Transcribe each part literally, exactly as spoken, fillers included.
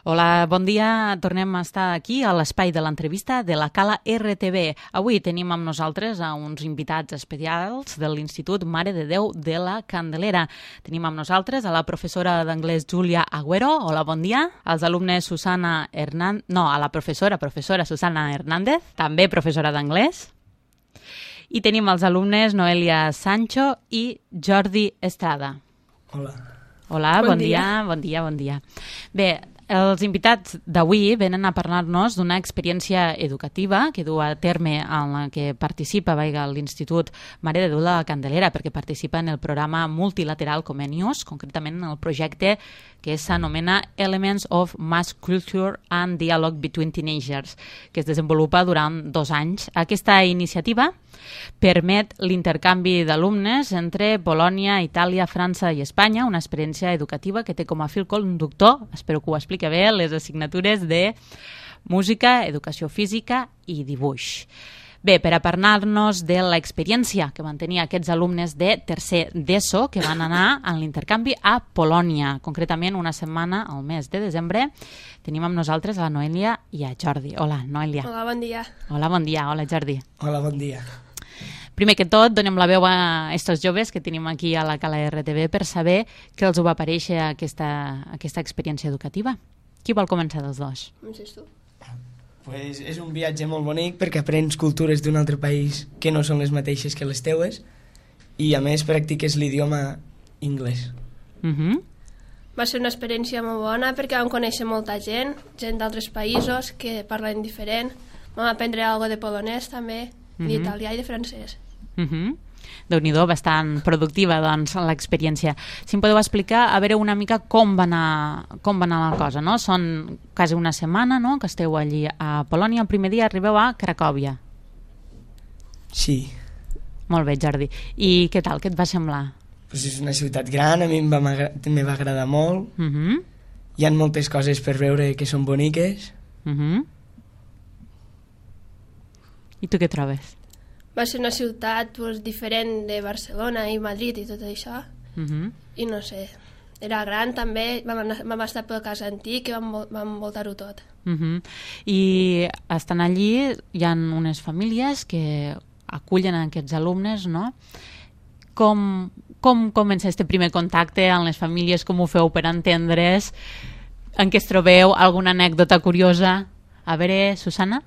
Hola, bon dia. Tornem a estar aquí a l'espai de l'entrevista de la Cala R T V. Avui tenim amb nosaltres a uns invitats especials de l'Institut Mare de Déu de la Candelera. Tenim amb nosaltres a la professora d'anglès Júlia Agüero. Hola, bon dia. Als alumnes Susana Hernández... No, a la professora, professora Susana Hernández, també professora d'anglès. I tenim els alumnes Noelia Sancho i Jordi Estrada. Hola. Hola, bon, bon dia. dia, bon dia, bon dia. Bé, els invitats d'avui venen a parlar-nos d'una experiència educativa que du a terme en la que participa veiga l'Institut Mare de Déu de la Candelera, perquè participa en el programa multilateral Comenius, concretament en el projecte que s'anomena Elements of Mass Culture and Dialogue Between Teenagers, que es desenvolupa durant dos anys. Aquesta iniciativa permet l'intercanvi d'alumnes entre Polònia, Itàlia, França i Espanya, una experiència educativa que té com a fil conductor, espero que ho expliqui bé, les assignatures de música, educació física i dibuix. Bé, per a parlar-nos de l'experiència que van tenir aquests alumnes de tercer d'ESO que van anar en l'intercanvi a Polònia, concretament una setmana al mes de desembre, tenim amb nosaltres a la Noelia i a Jordi. Hola, Noelia. Hola, bon dia. Hola, bon dia. Hola, Jordi. Hola, bon dia. Primer que tot, donem la veu a aquests joves que tenim aquí a la Cala R T V per saber què els va aparèixer aquesta, aquesta experiència educativa. Qui vol començar dels dos? Comences tu. Pues és un viatge molt bonic perquè aprens cultures d'un altre país que no són les mateixes que les teues i a més practiques l'idioma anglès. Uh -huh. Va ser una experiència molt bona perquè vam conèixer molta gent, gent d'altres països que parlen diferent. Vam aprendre alguna de polonès també, uh -huh. d'italià i de francès. Uh -huh. Déu-n'hi-do, bastant productiva doncs, l'experiència. Si em podeu explicar, a veure una mica com va anar, com va anar la cosa, no? Són quasi una setmana, no?, que esteu allí a Polònia. El primer dia arribeu a Cracòvia. Sí. Molt bé, Jordi. I què tal? Què et va semblar? Pues és una ciutat gran, a mi em va, me va agradar molt. Uh -huh. Hi ha moltes coses per veure que són boniques. Uh -huh. I tu què trobes? Va ser una ciutat pues, diferent de Barcelona i Madrid i tot això. Uh -huh. I no sé, era gran també, vam, anar, vam estar pel cas antic i vam, vam voltar-ho tot. Uh -huh. I estan allí, hi ha unes famílies que acullen aquests alumnes, no? Com, com comença este primer contacte amb les famílies? Com ho feu per entendre's? En què es trobeu? Alguna anècdota curiosa? A veure, Susana?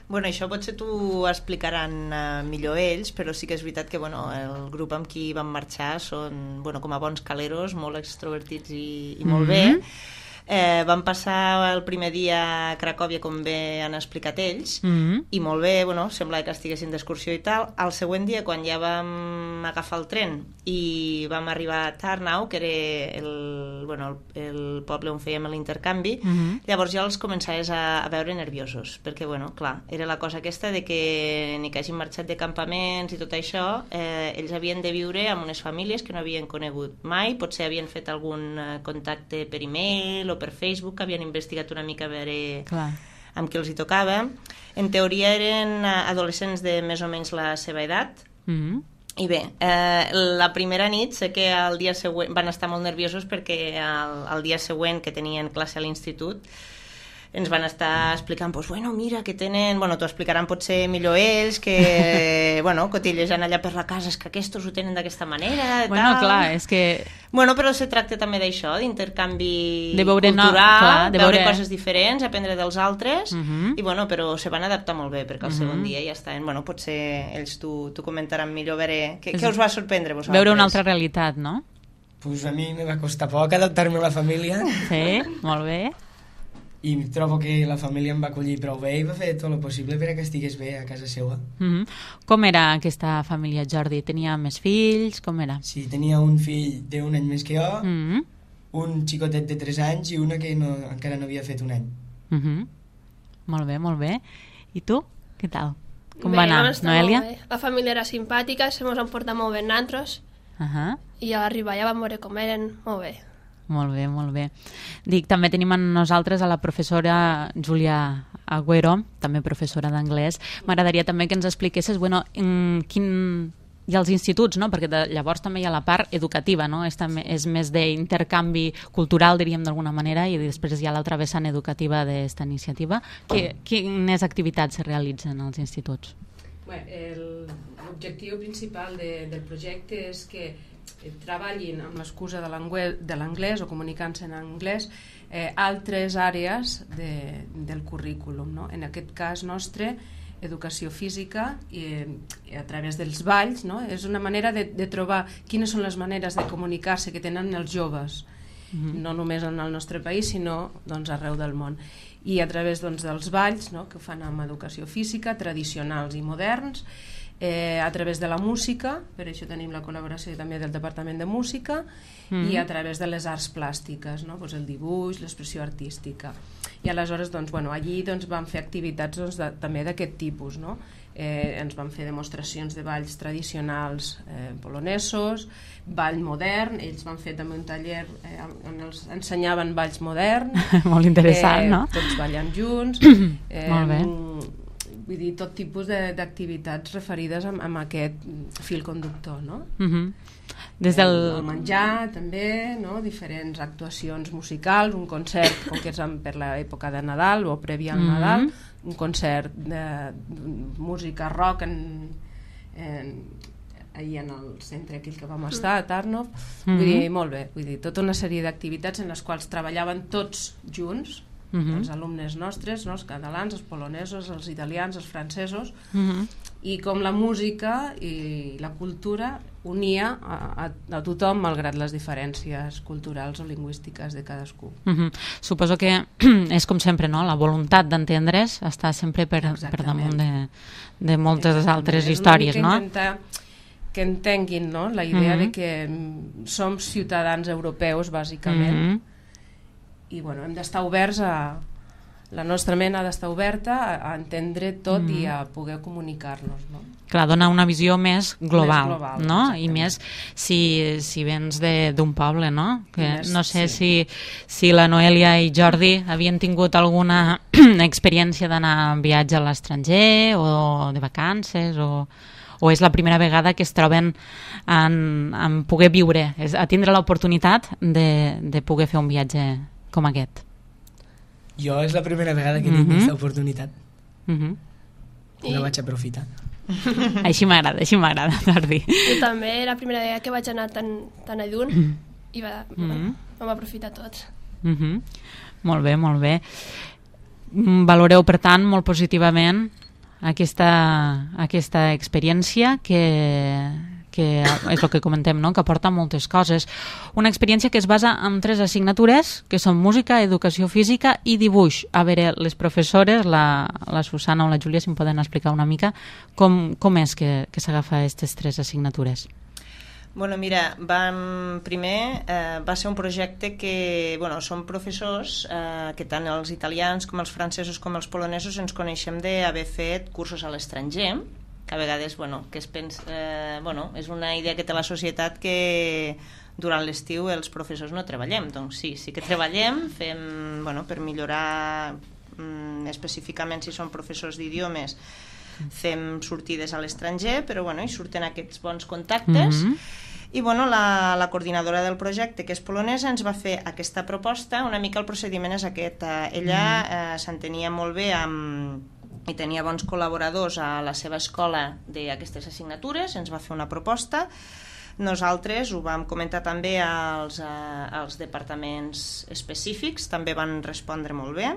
Bueno, això potser t'ho explicaran uh, millor ells, però sí que és veritat que bueno, el grup amb qui vam marxar són bueno, com a bons caleros, molt extrovertits i, i molt mm-hmm. bé. Eh, vam passar el primer dia a Cracòvia, com bé han explicat ells, mm-hmm. i molt bé, bueno, sembla que estiguessin d'excursió i tal. El següent dia, quan ja vam agafar el tren i vam arribar a Tarnau, que era el, bueno, el, el poble on fèiem l'intercanvi, mm-hmm. llavors ja els començaves a, a veure nerviosos, perquè, bueno, clar, era la cosa aquesta de que ni que hagin marxat de campaments i tot això, eh, ells havien de viure amb unes famílies que no havien conegut mai, potser havien fet algun eh, contacte per e-mail o per Facebook, havien investigat una mica a veure Clar. amb qui els hi tocava. En teoria eren adolescents de més o menys la seva edat. Mm-hmm. I bé, eh, la primera nit sé que el dia següent van estar molt nerviosos perquè el, el dia següent que tenien classe a l'institut ens van estar explicant, pues, bueno, mira, que tenen... Bueno, t'ho explicaran potser millor ells, que, bueno, cotillejant allà per la casa, és que aquests ho tenen d'aquesta manera, Bueno, tal. clar, és que... Bueno, però se tracta també d'això, d'intercanvi De veure, no, cultural, clar, de veure veure- coses diferents, aprendre dels altres, Mhm. i bueno, però se van adaptar molt bé, perquè el Mhm. segon dia ja estaven... Bueno, potser ells t'ho t'ho comentaran millor, a veure... Què, És- què us va sorprendre vosaltres? Veure una altra realitat, no? Pues a mi me va costar poc adaptar-me a la família Sí, molt bé. i trobo que la família em va acollir prou bé i va fer tot el possible per a que estigués bé a casa seva. Mm-hmm. Com era aquesta família, Jordi? Tenia més fills? Com era? Sí, tenia un fill d'un any més que jo, Mm-hmm. un xicotet de tres anys i una que no, encara no havia fet un any. Mm-hmm. Molt bé, molt bé. I tu? Què tal? Com Bé, va anar, vam estar Noelia? molt bé. La família era simpàtica, se mos han portat molt bé nosaltres, Uh-huh. i a arribar ja vam veure com eren, molt bé. Molt bé, molt bé. Dic, també tenim amb nosaltres a la professora Júlia Agüero, també professora d'anglès. M'agradaria també que ens expliquessis, bueno, en quin, i als instituts, no? Perquè de, llavors també hi ha la part educativa, no? És, també, és més d'intercanvi cultural, diríem d'alguna manera, i després hi ha l'altra vessant educativa d'aquesta iniciativa. Que, quines activitats se realitzen als instituts? Bé, l'objectiu principal de, del projecte és que treballin amb l'excusa de l'anglès o comunicant-se en anglès eh, altres àrees de, del currículum, no? En aquest cas nostre, educació física i, i a través dels balls, no? És una manera de, de trobar quines són les maneres de comunicar-se que tenen els joves, mm-hmm. no només en el nostre país sinó doncs, arreu del món, i a través doncs, dels balls, no? Que fan amb educació física, tradicionals i moderns, eh, a través de la música, per això tenim la col·laboració també del Departament de Música, mm-hmm. i a través de les arts plàstiques, no? Pues el dibuix, l'expressió artística. I aleshores doncs, bueno, allí doncs, vam fer activitats doncs, de, també d'aquest tipus, no? Eh, ens van fer demostracions de balls tradicionals eh, polonesos, ball modern, ells van fer també un taller eh, on els ensenyaven balls moderns. Molt interessant, eh, no? Tots ballant junts. Eh, Molt bé. Vull dir, tot tipus d'activitats referides amb, amb aquest fil conductor, no? Uh-huh. Des del... El, el menjar també, no? Diferents actuacions musicals, un concert com que és per l'època de Nadal o prèvia al uh-huh. Nadal, un concert de, de música rock en, en, ahir en el centre aquell que vam estar, a Tarnov. Uh-huh. Vull dir, molt bé, vull dir, tota una sèrie d'activitats en les quals treballaven tots junts, uh-huh. els alumnes nostres, no? Els catalans, els polonesos, els italians, els francesos, uh-huh. i com la música i la cultura unia a, a, a tothom malgrat les diferències culturals o lingüístiques de cadascú. Uh-huh. Suposo que és com sempre, no? La voluntat d'entendre's està sempre per, per damunt de, de moltes Exactament. Altres històries, no? Intentar que entenguin, no? La idea uh-huh. de que som ciutadans europeus, bàsicament, uh-huh. i bueno, hem d'estar oberts a... La nostra ment ha d'estar oberta a, a entendre tot mm. i a poder comunicar-nos, no? Clar, dona una visió més global, més global no? I més si, si vens d'un poble, no? Que més, no sé sí. si, si la Noelia i Jordi havien tingut alguna experiència d'anar en viatge a l'estranger o de vacances o... o és la primera vegada que es troben en, en poder viure, és, a tindre l'oportunitat de, de poder fer un viatge com aquest. Jo és la primera vegada que tinc mm-hmm. aquesta oportunitat. Mm-hmm. I la vaig aprofitar. Així m'agrada, així m'agrada, Jordi. Jo també, la primera vegada que vaig anar tan, tan a lluny mm. i va, mm-hmm. vam aprofitar tots. Mm-hmm. Molt bé, molt bé. Valoreu, per tant, molt positivament aquesta, aquesta experiència que... que és el que comentem, no? Que aporta moltes coses. Una experiència que es basa en tres assignatures, que són música, educació física i dibuix. A veure, les professores, la, la Susana o la Júlia, si em poden explicar una mica com, com és que, que s'agafa aquestes tres assignatures. Bueno, mira, vam, primer eh, va ser un projecte que, bueno, som professors eh, que tant els italians com els francesos com els polonesos ens coneixem d'haver fet cursos a l'estranger, que a vegades, bueno, que es pensa, eh, bueno, és una idea que té la societat que durant l'estiu els professors no treballem. Doncs sí, sí que treballem, fem, bueno, per millorar mm, específicament si són professors d'idiomes, fem sortides a l'estranger, però bueno, hi surten aquests bons contactes. Mm-hmm. I bueno, la, la coordinadora del projecte, que és polonesa, ens va fer aquesta proposta. Una mica el procediment és aquest. Ella eh, s'entenia molt bé amb i tenia bons col·laboradors a la seva escola d'aquestes assignatures, ens va fer una proposta. Nosaltres ho vam comentar també als, als departaments específics, també van respondre molt bé.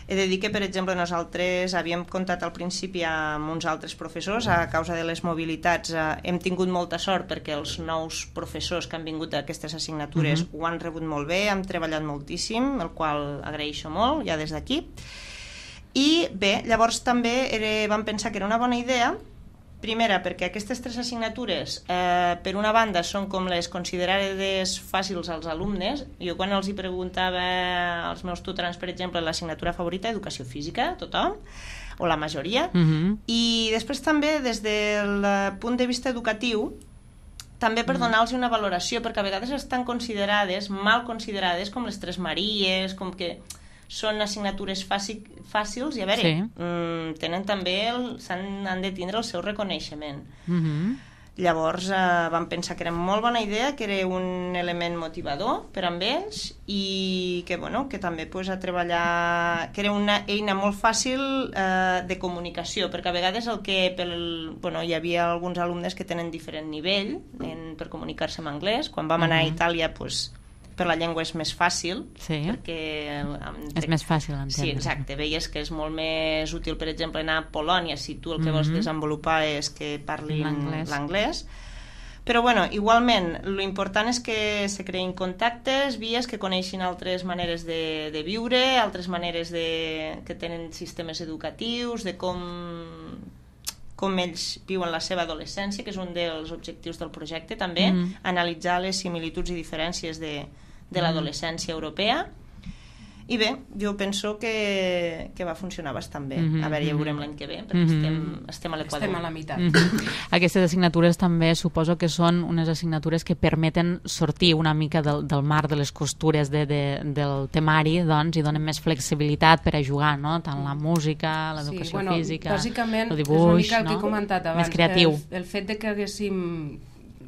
He de dir que, per exemple, nosaltres havíem comptat al principi amb uns altres professors, a causa de les mobilitats hem tingut molta sort perquè els nous professors que han vingut a aquestes assignatures uh-huh. ho han rebut molt bé, hem treballat moltíssim, el qual agraeixo molt, ja des d'aquí. I bé, llavors també era, vam pensar que era una bona idea, primera perquè aquestes tres assignatures eh, per una banda són com les considerades fàcils als alumnes. Jo quan els hi preguntava als meus tutorants, per exemple, l'assignatura favorita, educació física, tothom, o la majoria, uh-huh. i després també des del punt de vista educatiu també per donar-los una valoració, perquè a vegades estan considerades, mal considerades, com les Tres Maries, com que són assignatures fàcil, fàcils i a veure, sí. mm, tenen també el, han, han de tindre el seu reconeixement. Mm-hmm. Llavors eh, vam pensar que era molt bona idea, que era un element motivador per amb ells i que, bueno, que també pues, a treballar, que era una eina molt fàcil eh, de comunicació, perquè a vegades el que pel, bueno, hi havia alguns alumnes que tenen diferent nivell en, per comunicar-se en anglès. Quan vam anar uh-huh. a Itàlia, pues, per la llengua és més fàcil, sí. perquè... Entre... És més fàcil entendre. Sí, exacte. Veies que és molt més útil, per exemple, anar a Polònia, si tu el que vols mm-hmm. desenvolupar és que parlin l'anglès. Però, bueno, igualment, l'important és que se creïn contactes, vies que coneixin altres maneres de, de viure, altres maneres de, que tenen sistemes educatius, de com... com ells viuen la seva adolescència, que és un dels objectius del projecte també, mm. analitzar les similituds i diferències de, de l'adolescència europea. I bé, jo penso que, que va funcionar bastant bé. Mm-hmm. A veure, ja ho veurem l'any que ve, perquè mm-hmm. estem, estem a l'Equador. Estem a la meitat. Mm-hmm. Aquestes assignatures també suposo que són unes assignatures que permeten sortir una mica del, del mar de les costures de, de, del temari, doncs, i donen més flexibilitat per a jugar, no? Tant la música, l'educació sí, bueno, física, bàsicament, el dibuix, és una mica el no? que he comentat abans. Més creatiu. El, el fet de que haguéssim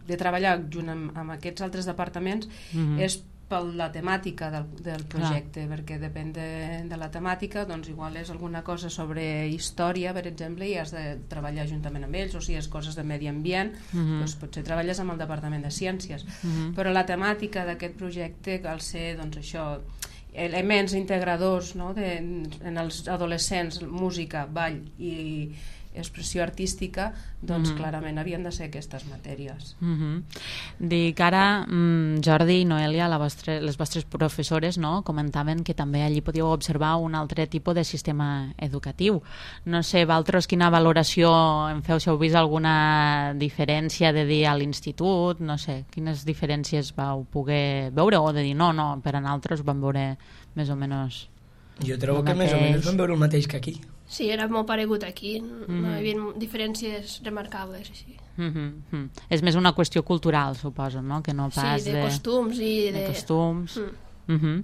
de treballar junt amb, amb aquests altres departaments mm-hmm. és per la temàtica del, del projecte, clar. Perquè depèn de, de la temàtica, doncs igual és alguna cosa sobre història, per exemple, i has de treballar juntament amb ells, o si és coses de medi ambient, mm-hmm. doncs potser treballes amb el Departament de Ciències. Mm-hmm. Però la temàtica d'aquest projecte cal ser, doncs això, elements integradors, no? de, en els adolescents, música, ball i expressió artística, doncs mm-hmm. clarament havien de ser aquestes matèries. Mm-hmm. Dic ara, mm, Jordi i Noelia, la vostre, les vostres professores, no? comentaven que també allí podíeu observar un altre tipus de sistema educatiu. No sé, vosaltres quina valoració en feu, si heu vist alguna diferència de dir a l'institut, no sé, quines diferències vau poder veure, o de dir no, no, per a nosaltres vam veure més o menys... Jo trobo que més o menys vam veure el mateix que aquí. Sí, era molt paregut aquí, mm-hmm. no hi havia diferències remarcables així. Mm-hmm. És més una qüestió cultural, suposo, no? Que no pas sí, de, de costums i de... de costums. Mm. Mm-hmm.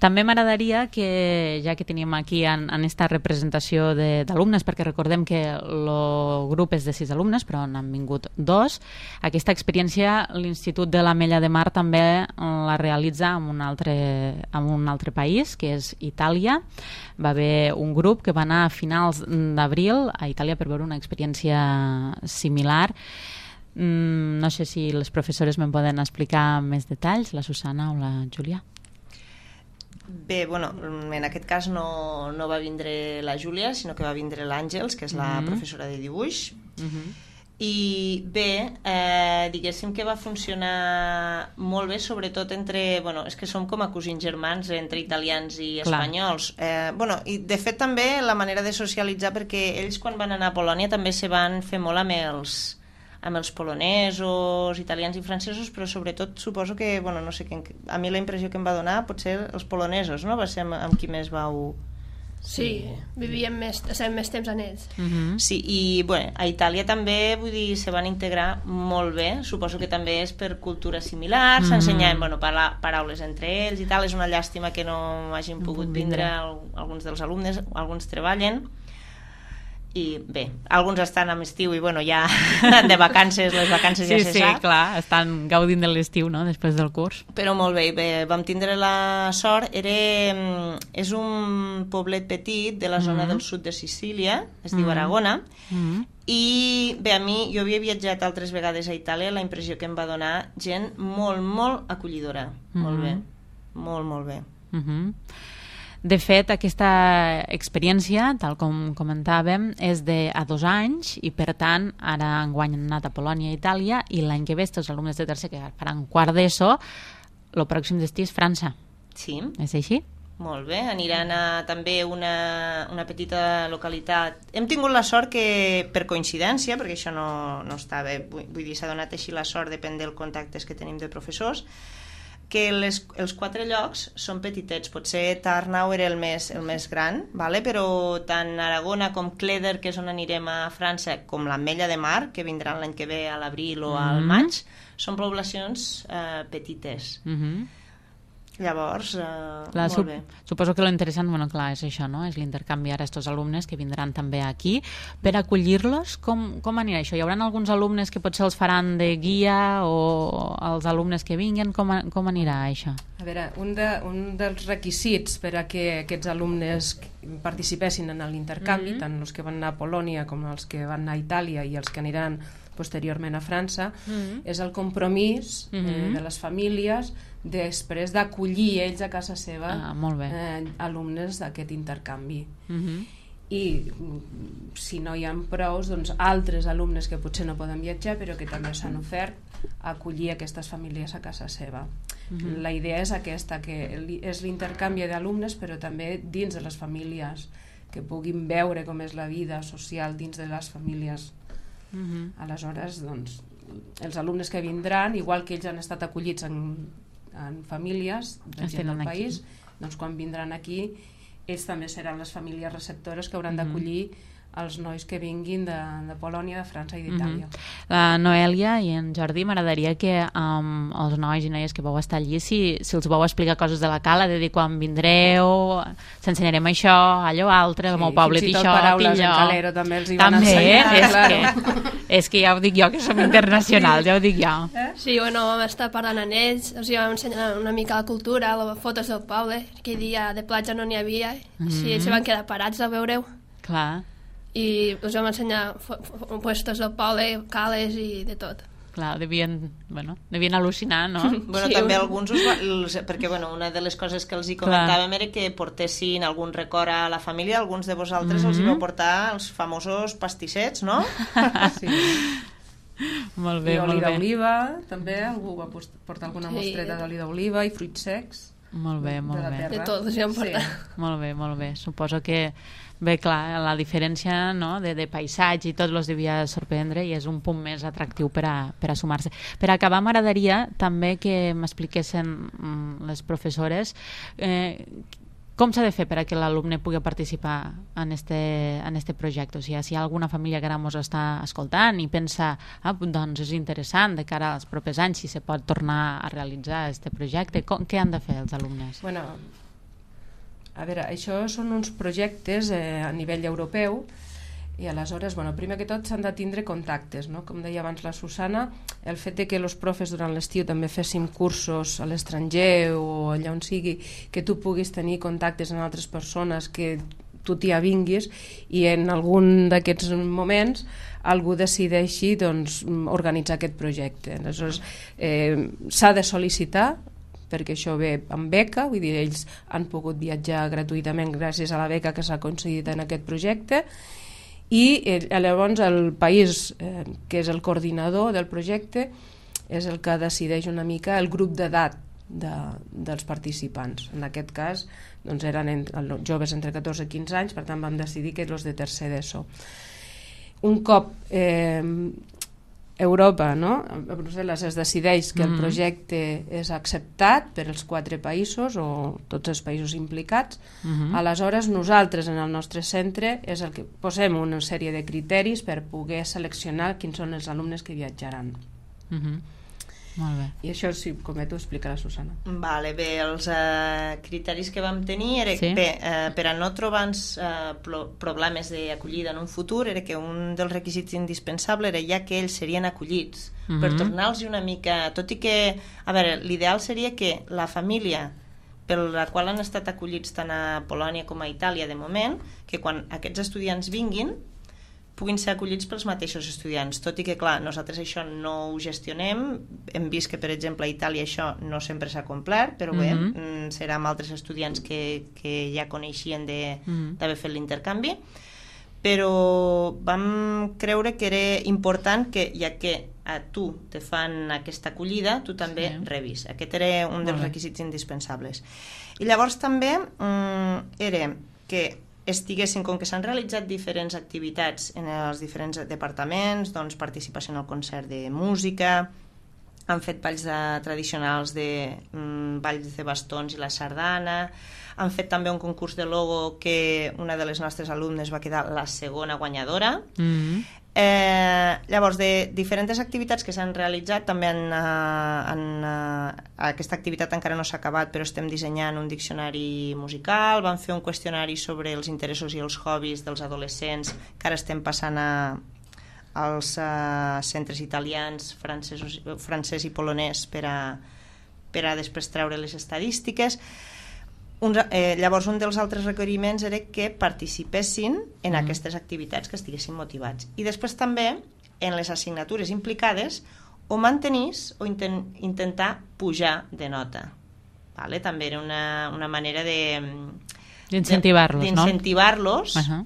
També m'agradaria que, ja que tenim aquí en, en esta representació d'alumnes, perquè recordem que el grup és de sis alumnes, però n'han vingut dos, aquesta experiència l'Institut de l'Ametlla de Mar també la realitza en un altre, en un altre país, que és Itàlia. Va haver un grup que va anar a finals d'abril a Itàlia per veure una experiència similar. Mm, no sé si les professores me'n poden explicar més detalls, la Susana o la Júlia. Bé, bueno, en aquest cas no, no va vindre la Júlia, sinó que va vindre l'Àngels, que és la mm-hmm. professora de dibuix. Mm-hmm. I bé, eh, diguéssim que va funcionar molt bé, sobretot entre... Bueno, és que som com a cosins germans entre italians i espanyols. Eh, bueno, i de fet també la manera de socialitzar, perquè ells quan van anar a Polònia també se van fer molt amb els... amb els polonesos, italians i francesos, però sobretot suposo que, bueno, no sé, que a mi la impressió que em va donar potser els polonesos, no? Va ser amb, amb qui més vau... Sí, sí. Vivíem més, estem més temps en ells. Uh-huh. Sí, i bueno, a Itàlia també, vull dir, se van integrar molt bé, suposo que també és per cultura similar, uh-huh. s'ensenyaven, bueno, para, paraules entre ells i tal, és una llàstima que no hagin pogut vindre alguns dels alumnes, alguns treballen, i bé, alguns estan a l'estiu i bueno, ja de vacances, les vacances sí, ja se sí, sap. Sí, clar, estan gaudint de l'estiu, no?, després del curs. Però molt bé, bé, vam tindre la sort, era, és un poblet petit de la zona mm-hmm. del sud de Sicília, es diu mm-hmm. Aragona, mm-hmm. i bé, a mi, jo havia viatjat altres vegades a Itàlia, la impressió que em va donar gent molt, molt acollidora, mm-hmm. molt bé, molt, molt bé. Mm-hmm. De fet, aquesta experiència, tal com comentàvem, és de a dos anys i, per tant, ara enguany han anat a Polònia i Itàlia i l'any que ve els alumnes de tercer que faran quart d'ESO, el pròxim destí és França. Sí. És així? Molt bé, aniran a també una, una petita localitat. Hem tingut la sort que, per coincidència, perquè això no, no està bé, vull, vull dir, s'ha donat així la sort, depèn dels contactes que tenim de professors, que les, els quatre llocs són petitets. Potser Tarnau era el més, el més gran, vale? Però tant Aragona com Cleder, que és on anirem a França, com l'Ametlla de Mar, que vindran l'any que ve a l'abril o al maig, són poblacions eh, petites. Mm-hmm. Llavors, eh, clar, molt sup bé. Suposo que lo interessant, bueno, clar, és això, no? És l'intercanvi ara estos alumnes que vindran també aquí. Per acollir-los, com, com anirà això? Hi haurà alguns alumnes que potser els faran de guia o els alumnes que vinguen? Com, com anirà això? A veure, un, de, un dels requisits per a que aquests alumnes participessin en l'intercanvi, mm-hmm. tant els que van anar a Polònia com els que van anar a Itàlia i els que aniran posteriorment a França, mm-hmm. és el compromís mm-hmm. eh, de les famílies després d'acollir ells a casa seva ah, molt bé. Eh, alumnes d'aquest intercanvi. Mm-hmm. I si no hi ha prous, doncs altres alumnes que potser no poden viatjar però que també s'han ofert a acollir aquestes famílies a casa seva. Mm-hmm. La idea és aquesta, que és l'intercanvi d'alumnes però també dins de les famílies, que puguin veure com és la vida social dins de les famílies. Mm-hmm. Aleshores, doncs, els alumnes que vindran, igual que ells han estat acollits en, en famílies de gent del país, doncs quan vindran aquí ells també seran les famílies receptores que hauran mm-hmm. d'acollir els nois que vinguin de, de Polònia, de França i d'Itàlia. Mm-hmm. La Noèlia i en Jordi, m'agradaria que um, els nois i noies que vau estar allí, si, si els vau explicar coses de la cala, de dir quan vindreu, s'ensenyarem això, allò altre, sí, el meu poble, fins i tot això, paraules en calero també els hi van també, ensenyar. És, claro. que, és que ja ho dic jo, que som internacionals, ja ho dic jo. Eh? Sí, bueno, vam estar parlant amb ells, els vam ensenyar una mica la cultura, les fotos del poble, aquell dia de platja no n'hi havia, mm-hmm. sí, ells van quedar parats a veure-ho. Clar. I us vam ensenyar puestos del poble, cales i de tot. Clar, devien, bueno, devien al·lucinar, no? Bueno, sí, també un... alguns us va, els, perquè bueno, una de les coses que els hi comentàvem Clar. Era que portessin algun record a la família, alguns de vosaltres mm-hmm. els hi vau portar els famosos pastissets, no? Sí. Molt bé, I molt oli bé. d'oliva, també algú va portar alguna sí. mostreta d'oli d'oliva i fruits secs. Molt bé, molt de bé. De tot, us hi vam portar. Sí. Molt bé, molt bé. Suposo que bé, clar, la diferència, no?, de, de paisatge i tot els devia sorprendre i és un punt més atractiu per a, per a sumar-se. Per acabar, m'agradaria també que m'expliquessin mm, les professores eh, com s'ha de fer per a que l'alumne pugui participar en este, en este projecte. O sigui, si hi ha alguna família que ara ens està escoltant i pensa, ah, doncs és interessant de cara als propers anys si se pot tornar a realitzar este projecte, com, què han de fer els alumnes? Bueno, a veure, això són uns projectes eh, a nivell europeu i aleshores, bueno, primer que tot s'han de tindre contactes, no? Com deia abans la Susana, el fet de que els profes durant l'estiu també féssim cursos a l'estranger o allà on sigui, que tu puguis tenir contactes amb altres persones, que tu t'hi avinguis i en algun d'aquests moments algú decideixi doncs, organitzar aquest projecte. Aleshores, eh, s'ha de sol·licitar perquè això ve amb beca, vull dir, ells han pogut viatjar gratuïtament gràcies a la beca que s'ha aconseguit en aquest projecte i eh, llavors el país eh, que és el coordinador del projecte és el que decideix una mica el grup d'edat de, dels participants. En aquest cas doncs eren en, joves entre catorze i quinze anys, per tant vam decidir que els de tercer d'ESO. Un cop eh, Europa, no? A Brussel·les es decideix que el projecte és acceptat per els quatre països o tots els països implicats, uh-huh. aleshores nosaltres en el nostre centre és el que posem una sèrie de criteris per poder seleccionar quins són els alumnes que viatjaran. Uh-huh. Molt bé. I això, si cometo, explica la Susana. Vale, bé, els eh, criteris que vam tenir era sí. bé, eh, per a no trobar-nos eh, problemes d'acollida en un futur, era que un dels requisits indispensables era ja que ells serien acollits, uh-huh. per tornar-los una mica, tot i que, a veure, l'ideal seria que la família per la qual han estat acollits tant a Polònia com a Itàlia de moment, que quan aquests estudiants vinguin puguin ser acollits pels mateixos estudiants, tot i que, clar, nosaltres això no ho gestionem, hem vist que, per exemple, a Itàlia això no sempre s'ha complert, però bé, mm-hmm. serà amb altres estudiants que, que ja coneixien d'haver mm-hmm. fet l'intercanvi, però vam creure que era important que, ja que a tu te fan aquesta acollida, tu també sí. rebis. Aquest era un dels requisits indispensables. I llavors també mm, era que estiguessin, com que s'han realitzat diferents activitats en els diferents departaments, doncs participació en el concert de música, han fet balls de, tradicionals de mm, balls de bastons i la sardana, Han fet també un concurs de logo que una de les nostres alumnes va quedar la segona guanyadora. Mm-hmm. Eh, llavors, de diferents activitats que s'han realitzat, també en, en, en, aquesta activitat encara no s'ha acabat, però estem dissenyant un diccionari musical, vam fer un qüestionari sobre els interessos i els hobbies dels adolescents, que ara estem passant a, als uh, centres italians, francesos, francès i polonès per a, per a després treure les estadístiques. Un, eh, llavors un dels altres requeriments era que participessin en mm. aquestes activitats, que estiguessin motivats, i després també en les assignatures implicades o mantenís o inten, intentar pujar de nota, vale? També era una, una manera de d'incentivar-los, no? d'incentivar-los. Uh-huh.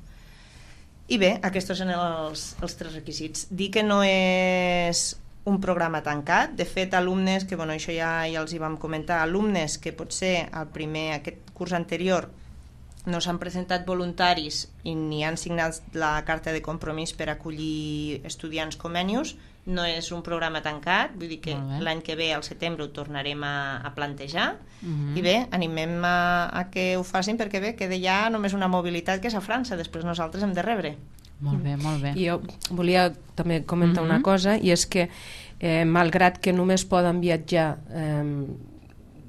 I bé, aquests són els, els tres requisits. Dir que no és un programa tancat. De fet, alumnes, que bueno, això ja, ja els hi vam comentar, alumnes que potser al primer, aquest curs anterior, no s'han presentat voluntaris i ni han signat la carta de compromís per acollir estudiants Comenius, no és un programa tancat, vull dir que l'any que ve, al setembre, ho tornarem a, a plantejar. Uh-huh. I bé, animem a, a que ho facin, perquè bé, queda ja només una mobilitat que és a França, després nosaltres hem de rebre. Molt bé, molt bé. Jo volia també comentar mm-hmm. una cosa, i és que eh, malgrat que només poden viatjar eh,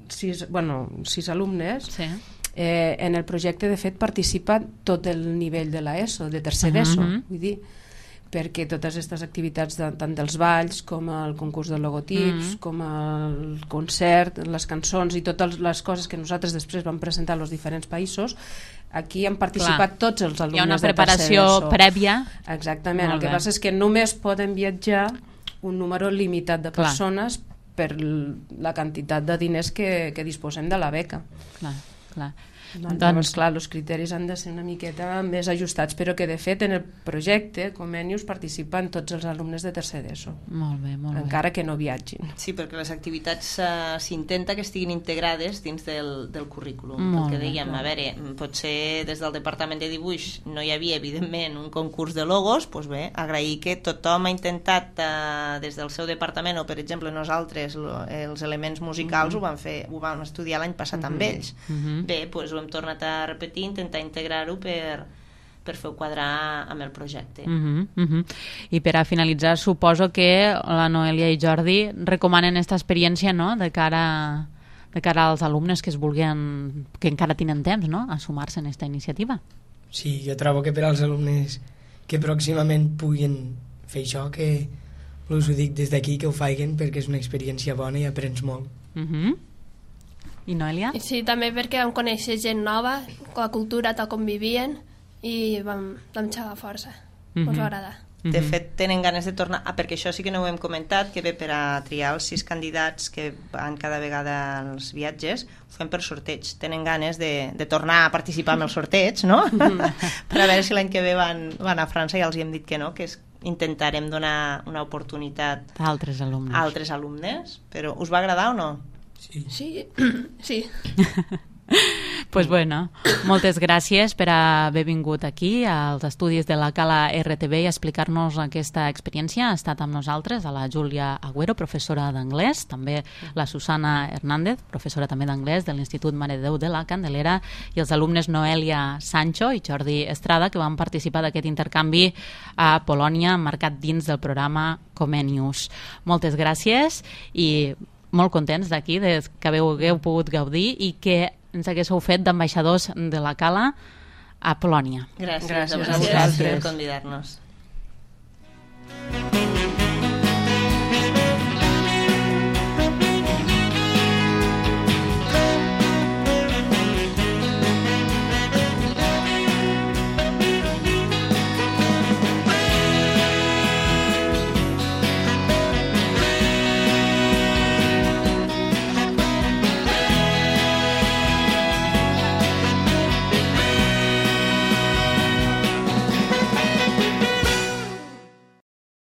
sis, bueno, sis alumnes, sí. eh, en el projecte de fet participa tot el nivell de l'ESO, de tercer uh-huh. ESO, vull dir, perquè totes aquestes activitats de, tant dels balls com el concurs de logotips, mm. com el concert, les cançons i totes les coses que nosaltres després vam presentar als diferents països, aquí han participat Clar. tots els alumnes de tercer ESO. Hi ha una preparació prèvia. Exactament, el que passa és que només poden viatjar un número limitat de persones Clar. per la quantitat de diners que, que disposem de la beca. Clar, clar. Doncs, doncs clar, els criteris han de ser una miqueta més ajustats, però que de fet en el projecte Comenius participen tots els alumnes de tercer d'ESO. Molt bé, molt bé. Encara que no viatgin. Sí, perquè les activitats uh, s'intenta que estiguin integrades dins del, del currículum. Molt el que dèiem, bé, a veure, potser des del Departament de Dibuix no hi havia evidentment un concurs de logos, doncs bé, agrair que tothom ha intentat uh, des del seu departament, o per exemple nosaltres lo, els elements musicals mm-hmm. ho vam fer, ho vam estudiar l'any passat mm-hmm. amb ells. Mm-hmm. Bé, doncs ho hem tornat a repetir, intentar integrar-ho per, per fer-ho quadrar amb el projecte. Uh-huh, uh-huh. I per a finalitzar, suposo que la Noelia i Jordi recomanen aquesta experiència, no?, de cara, de cara als alumnes que es vulguin, que encara tenen temps, no?, a sumar-se en aquesta iniciativa. Sí, jo trobo que per als alumnes que pròximament puguin fer això, que us ho dic des d'aquí, que ho facin, perquè és una experiència bona i aprens molt. Uh-huh. I Noelia? Sí, també perquè vam conèixer gent nova, la cultura tal com vivien, i vam, vam xerrar força. Mm-hmm. Us va agradar. De fet, tenen ganes de tornar, ah, perquè això sí que no ho hem comentat, que bé, per a triar els sis candidats que van cada vegada als viatges, ho fem per sorteig. Tenen ganes de, de tornar a participar en el sorteig, no? Per a veure si l'any que ve van, van a França, i ja els hem dit que no, que és, intentarem donar una oportunitat a altres alumnes. A altres alumnes. Però us va agradar o no? Sí. Sí. sí. Pues bueno, moltes gràcies per haver vingut aquí als estudis de la Cala R T V i explicar-nos aquesta experiència. Ha estat amb nosaltres a la Júlia Agüero, professora d'anglès, també la Susana Hernández, professora també d'anglès de l'Institut Mare de Déu de la Candelera, i els alumnes Noelia Sancho i Jordi Estrada, que van participar d'aquest intercanvi a Polònia, marcat dins del programa Comenius. Moltes gràcies i molt contents d'aquí, que hagueu pogut gaudir i que ens haguéssiu fet d'ambaixadors de la Cala a Polònia. Gràcies, gràcies a vosaltres per convidar-nos.